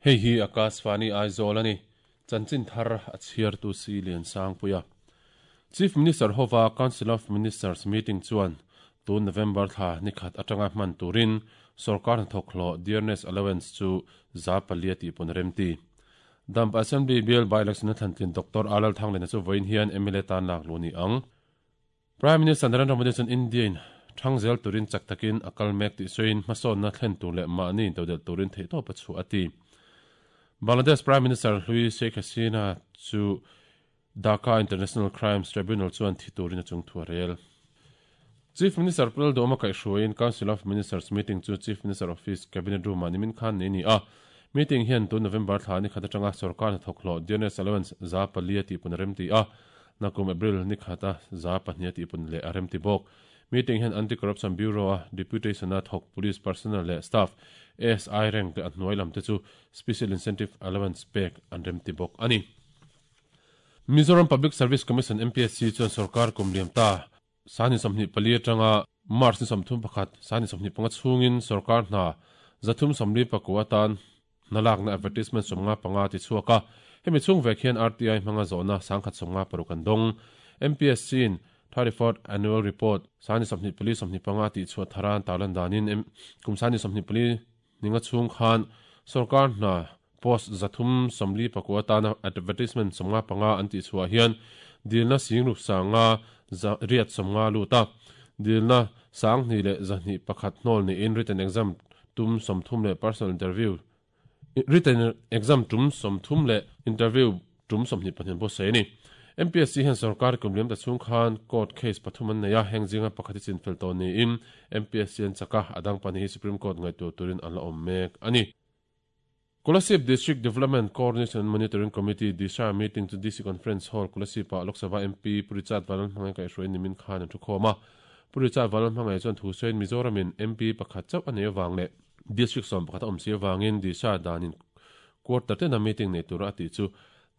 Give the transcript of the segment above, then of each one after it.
Hei hi Akashvani Aizawl a ni. Chanchin thar a chhiartu si Liansangpuia. Chief Minister hova Council of Ministers meeting chuan tun November thla nikhat atanga hman turin sorkar hnathawk hlawh dearness allowance chu 4% tih pawn remti. Dampa Assembly bial by-election a thlantlin Doctor A Lalthanglena chu vawiin hian mla tan lak luh ni ang. Prime Minister Narendra Modi chuan India in thang zel turin chak takin a kal mek tih sawiin hmasawnna thlen tur leh mahni intodelh turin theihtawp a chhuah a ti. Bangladesh Prime Minister hlui Sheikh Hasina chu Dhaka International Crimes Tribunal chuan thi turin a chungthu a rel. Chief Minister Pu Lalduhoma kaihhruaiin Council of Ministers meeting chu Chief Minister Office Cabinet Room-ah nimin khan nei a ni a. Meeting hian tun November thla ni khat atanga sorkar hnathawk hlawh dearness allowance 4% tih pun a remti a, nakum April ni khata 2% tih pun leh a remti bawk. Meeting hian Anti-Corruption Bureau-a deputation-a thawk police personnel leh staff, ASI rank leh a hnuai lamte chu Special Incentive Allowance pek an remti bawk a ni. Mizoram Public Service Commission, MPSC, chuan sorkar kum liam ta Sani 24 atanga March ni 31, Sani 25 chhungin sorkar hna 349 atan hna lakna advertisement 55 ti chhuak a. Hemi chhung vek hian RTI hmanga zawhna 156 an dawng. MPSC in 34th Annual Report Sani 24 25 tih chhuah thara an tarlan danin kum Sani 24 ninga chhung khan sorkar hna post 349 atana advertisement 55 an tih chhuah hian dilna singruk sanga riat 50 lut a. Dilna sang hnih leh zahnih pakhat hnawl niin written exam tum 30 leh personal interview written exam tum 30 leh interview tum 22 pawh sawi a ni. MPSC hian sorkar kum liam ta chhung khan court case pathum an nei a, heng zinga pakhat hi chinfel tawh niin MPSC an chak a, a dang pahnih hi Supreme Court ngaihtuah turin an la awm mek a ni. Kolasib District Development Coordination and Monitoring Committee, DISHA, meeting chu DC Conference Hall, Kolasib-ah Lok Sabha MP Pu Richard Vanlalhmangai kaihhruaiin nimin khan an thu khawm a. Pu Richard Vanlalhmangai chuan thu sawiin Mizoramin MP pakhat chauh a nei avang leh District 11 a awm si avangin DISHA danin quarter tena meeting nei tura a tih chu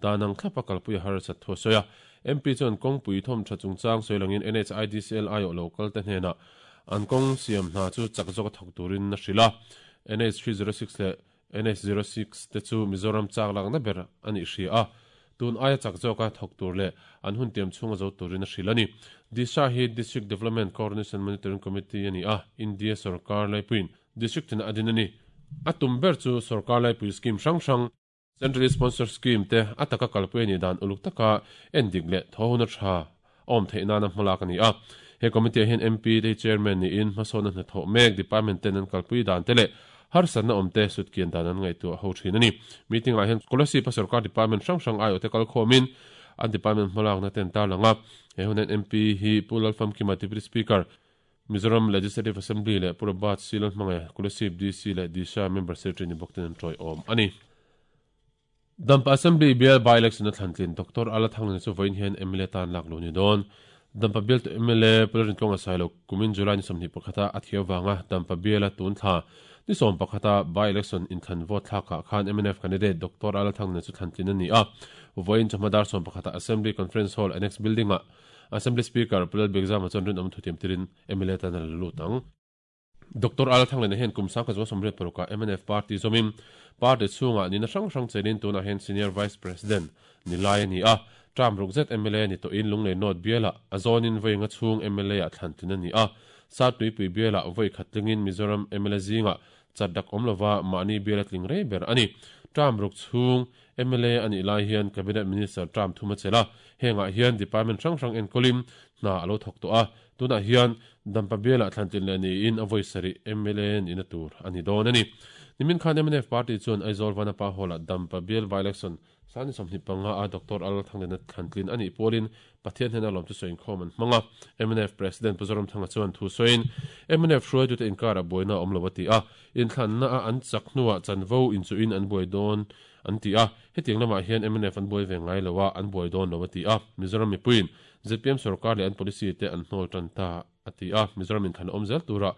dan ang thlapa kalpui a harsat thu a sawi a. MP chuan kawngpui thawm tha chungchang sawi langin NHIDCL aiawh lo kalte hnenah an kawng siam hna chu chak zawka thawk turin a hrilh a. NH 306 leh NH 06 te chu Mizoram chak lakna ber a nih hria a, tun aia chak zawka thawk tur leh an hun tiam chhunga zo turin a hrilh a ni. DISHA hi District Development Coordination Monitoring Committee a ni a, India sorkar laipuiin District tina a din a ni. A tum ber chu sorkar laipui scheme hrang hrang, Centrally sponsored scheme te a taka kalpui a nih dan uluk taka endik leh thawhuna tha a awm theih nana hmalak a ni a. He committee ah hian MP te hi chairman niin hmasawnna hnathawh mek department ten an kalpui dan te leh harsatna awm te sutkian dan an ngaihtuah ho thin a ni. Meeting ah hian Kolasib a sorkar department hrang hrang aiawh te kalkhawmin an department hmalakna te an tarlang a. He hun hian MP hi Pu Lalfamkima Deputy Speaker, Mizoram Legislative Assembly leh Pu Robert C. Lalhmangaih, Kolasib DC leh Disha Member Secretary ni bawk ten an tawiawm a ni. Dampa Assembly bial by-election a thlantlin Doctor Ala Thanglina chu vawiin hian mla tan lak luh a ni dawn. Dampa bial tu mla Pu Lalrintluanga Sailo kumin July ni 21 a thiau vanga Dampa biala tun thla ni 11 a by-election inthlan vote thlakah khan mnf candidate Doctor Ala Thanglina chu thlantlin a ni a. Vawiin chawhma dar 11 ah Assembly Conference Hall Annex Building-ah Assembly Speaker Pu Lalbiakzama chuan rinawm thutiam tirin mla tan a la lut ang. Doctor Al Thanglena hian kum sangkhat zawng 86 ah mnf party zawmin party chhungah nihna hrang hrang chenin tunah hian Senior Vice President ni lai a ni a. Term ruk zet mla ni tawhin Lunglei North bialah a zawnin vawi nga chhung mla ah thlan tlin a ni a. Sattuipui bialah vawi khat tlingin Mizoram mla zingah chat dak awm lova mahni biala tling rei ber a ni. Term ruk chhung Mla a nih lai hian Cabinet Minister term thum a chelh a, hengah hian department hrang hrang enkawlin hna a lo thawk tawh a, tunah hian Dampa bialah thlantlin leh niin a vawi sarih mla nihna tur a ni dawn a ni. Nimin khan mnf party chuan Aizawl Vanapa Hall-ah Dampa bial by-election sani 25 a Doctor Al Thanglena thlantlin a nih pawlin Pathian hnena lawm chu sawi inkhawm an hmang a. Mnf President Pu Zoramthanga chuan thu sawiin mnf hruaitute inkarah buaina a awm lo a ti a, inthlanna a an chak hnuah chanvo inchuhin an buai dawn an ti a, hetiang lamah hian mnf an buai ve ngai lo a, an buai dawn lo a ti a. Mizoram mipuiin zpm sorkar leh an policy te an hnawl tan ta a ti a, Mizoram inthlan awm zel turah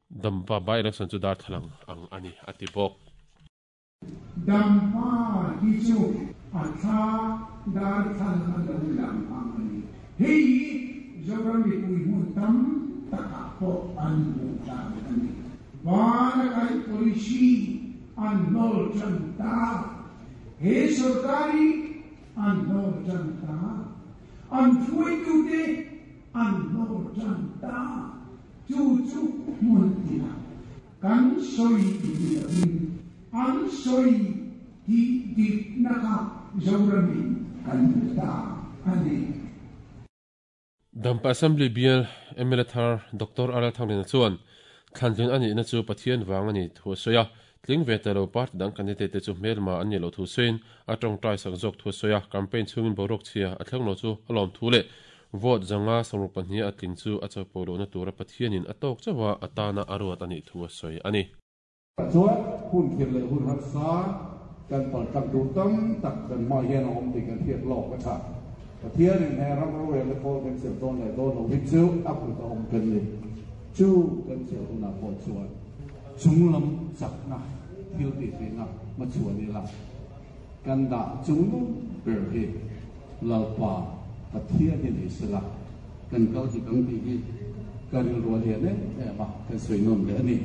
Dampa by-election chu darthlalang ang a ni a ti bawk. Dampa hi chu a thla darthlalang a lo lang ang a ni. Hei hi Zoram mipui hmun tam takah pawh an hmuh dan a ni. Van a kaih policy. an hnawl tan ta. He sorkar hi an hnawl tan ta. An hruaitute an hnawl tan ta. Chu chu hmun tinah kan sawi ni lovin an sawi tih dikna kha Zoramin kan hmu ta a ni. Dampa Assembly bial mla thar Doctor RL Thangliana chuan thlantlin a nihna chu Pathian vang a ni thu a sawi a, tling ve ta lo party dang candidate te chu hmelma an nih loh thu sawiin a tawngtai sak zawk thu a sawi a, campaign chhungin boruak chhia a thleng lo chu a lawm thu leh vote 562 a tling chu a chapo lohna tura Pathianin a tawk chauh a, a tana a ruat a nih thu a sawi a ni. Chuan hun khirh leh hun harsa kan paltlang tur tam tak kan hmaah hian a awm tih kan hriat lawk a tha. Pathianin he ram rorelna kawl kan chelh dawn leh dawn lo hi chu a kut a awm kan ni. Chu kan chelh hunah pawh chuan chunglam chakna thil tih theihna hmachhuan ila kan dah chungnung ber hi Lalpa Pathian hi ni sela kan kal dik ang tih hi ka rilru a lian em em a, kan sawi nawn leh a ni.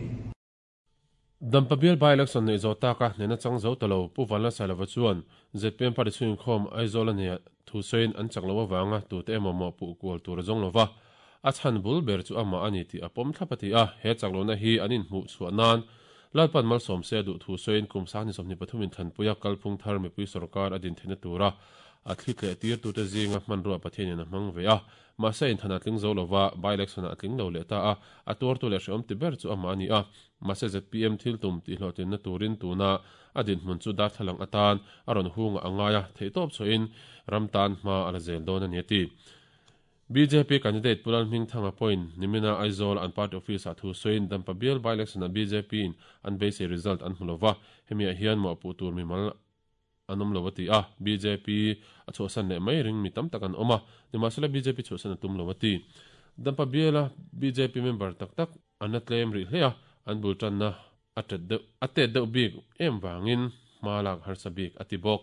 Dampa bial by-election neih zawh taka hnehna chang zo ta lo Pu Vanlalsailova chuan zpm party chhungin Aizawl a nia thu sawiin an chak loh avanga tute emaw mawhpuh kual tur a zawng lo va, a chhan bul ber chu amah a ni tih a pawm thlap a ti a, he chak lohna hi an inhmuh chhuah nan Lalpan malsawm se a duh thu sawiin kum 2023 in thlanpuia kalphung thar mipui sawrkar a din theihna tura a thli tleh tirtute zinga hmanrua Pathianin a hmang ve a. Mahse inthlan a tling zo lova, by-election-ah a tling lo leh ta a, a tuartu leh hrehawm ti ber chu amah a ni a. Mahse zpm thil tum tihhlawhtlinna turin tuna a dinhmun chu darthlalang atan a rawn hungah a ngai a, theihtawp chhuahin ram tan hma a la zel dawn a ni a ti. Bjp candidate Pu Lalhmingthanga pawhin nimina Aizawl an party office-ah thu sawiin Dampa bial by-election-ah BJP-in an beisei result an hmu lova, hemiah hian mawhpuh tur mimal an awm lo a ti a, bjp a chhuahsan leh mai ring mi tam tak an awm a, nimahsela bjp chhuahsan a tum lo a ti. Dampa biala bjp member tak tak an la tlem rih hle a, an bul tanna a tet deuh a tet deuh bik em vangin hma lak harsa bik a ti bawk.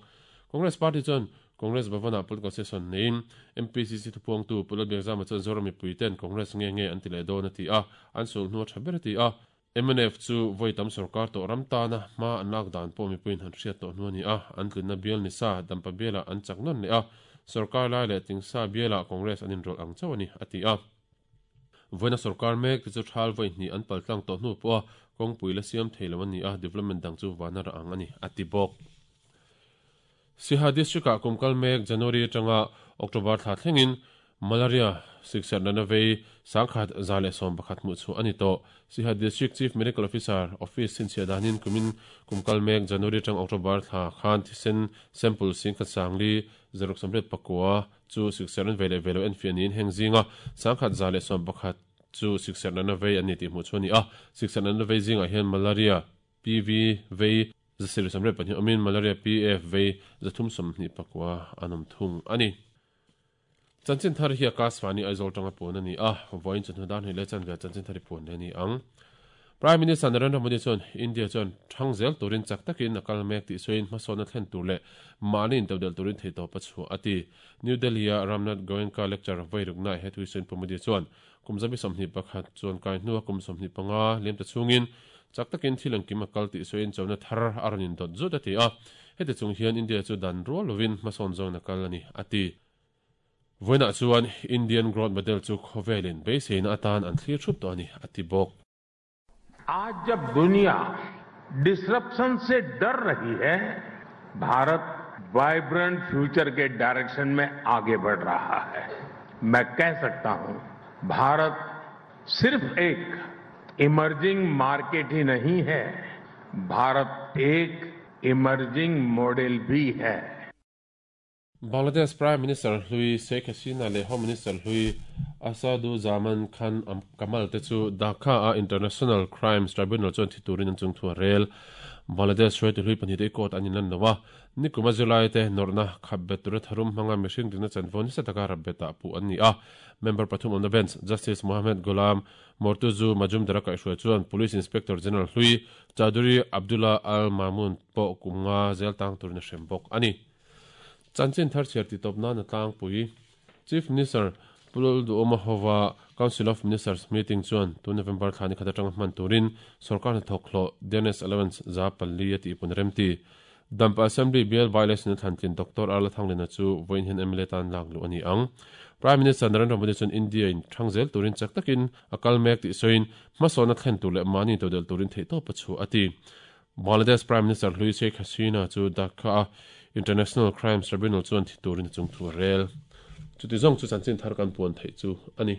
Congress party chuan Congress Bhavan-ah political session neiin MPCC thupuangtu Pu Lalbiakzama chuan Zoram mipuiten Congress nge nge an ti leh dawn a ti a, an sulhnu a tha ber a ti a, Mnf chu vawi tam sorkar tawh ram tana hma an lak dan pawh mipuiin han hriat tawh hnu a ni a, an tlinna bial ni sa Dampa bialah an chak nawn leh a, sorkar lai leh tingsa bialah Congress an inrawlh ang chauh a ni, a ti a. Vawiina sorkar mek te chu thal vawi hnih an paltlang tawh hnu pawha kawngpui la siam thei lo a ni a, development dang chu vana rah ang a ni, a ti bawk. Siha District-ah kum kal mek January atanga October thla thlengin Malaria sikserh natna vei 1111 hmuh chhuah a ni tawh. Siha District Chief Medical Officer Office chhinchhiah danin kumin kum kal mek January atang October thla khan thisen sample 10,5 689 chu sikserh an vei leh ve lo enfiah niin heng zinga 1111 chu sikserh natna vei an ni tih hmuh chhuah a ni a. Sikserh natna vei zingah hian Malaria PV vei 732 awmin Malaria PF vei 324 an awm thung a ni. Chanchin thar hi Akashvani Aizawl tanga puan a ni a, vawiin chawhnu dar hnih leh chanve chanchin thar hi puan leh a ni ang. Prime Minister Narendra Modi chuan India chuan thang zel turin chak takin a kal mek tih sawiin hmasawnna thlen tur leh mahni intodelh turin theihtawp a chhuah a ti. New Delhi-a Ramnath Goenka lecture vairuknaah he thu hi sawiin Pu Modi chuan Kum 21 chuan kai hnua kum 25 liam ta chhungin chak takin thil engkim a kal tih sawiin chona thar a rawn indawt zut a ti a. Heti chung hian India chu dan rual lovin hmasawn zawngin a kal a ni, a ti. Vawiinah chuan Indian Growth Model chu khawvelin beiseina atan an thlir thup tawh a ni, a ti bawk. Aaj jab duniya disruption se dar rahi hai, Bharat vibrant future ke direction mein aage badh raha hai. Main keh sakta hoon, Bharat sirf ek emerging market hi nahi hai, Bharat ek emerging model bhi hai. Bangladesh Prime Minister hlui Sheikh Hasina leh Home Minister hlui Asaduzzaman Khan Kamal te chu Dhaka-a International Crimes Tribunal chuan thi turin an chungthu a rel. Bangladesh hruaitu hlui pahnih te court an inlan lo a, nikuma zirlai te nawrhna khap bet tura tharum hmanga mihring dikna chanvo nasa taka rap betah puh an ni a. Member pathum awmna bench Justice Mohammed Golam Mortuzu Majumdar-a kaihhruai chuan Police Inspector General hlui Chowdhury Abdullah Al Mamun pawh kum nga zel tang turin a hrem bawk a ni. Chanchin thar chhiar tih tawp nan a tlangpui. Chief Minister Pu Lalduhawma hova Council of Ministers meeting chuan tun November thla ni khat atanga hman turin sorkar hnathawk hlawh Dearness Allowance 400 a tihpun remti. Dampa Assembly bial by-election a thlantlin Doctor Arla Thanglina chu vawiin hian mla tan lak luh a ni ang. Prime Minister Narendra Modi chuan India in thang zel turin chak takin a kal mek tih sawiin hmasawnna thlen tur leh mahni intodelh turin theihtawp a chhuah a ti. Bangladesh Prime Minister hlui Sheikh Hasina chu Dhaka a International Crimes Tribunal chuan thi turin a chungthu a rel. Chuti zawng chu chanchin thar kan puan theih chu a ni.